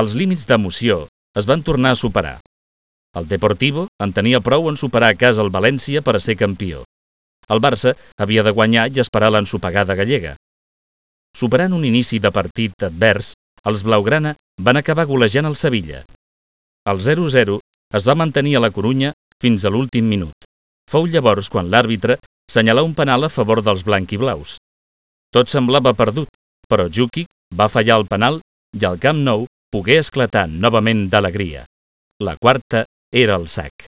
Els límits d'emoció es van tornar a superar. El Deportivo en tenia prou en superar a casa el València per a ser campió. El Barça havia de guanyar i esperar l'ensopegada gallega. Superant un inici de partit advers, els blaugrana van acabar golejant el Sevilla. El 0-0 es va mantenir a la Corunya fins a l'últim minut. Fou llavors quan l'àrbitre senyalà un penal a favor dels blanquiblaus. Tot semblava perdut, però Djukic va fallar el penal i el Camp Nou pogué esclatar novament d'alegria. La quarta era el sac.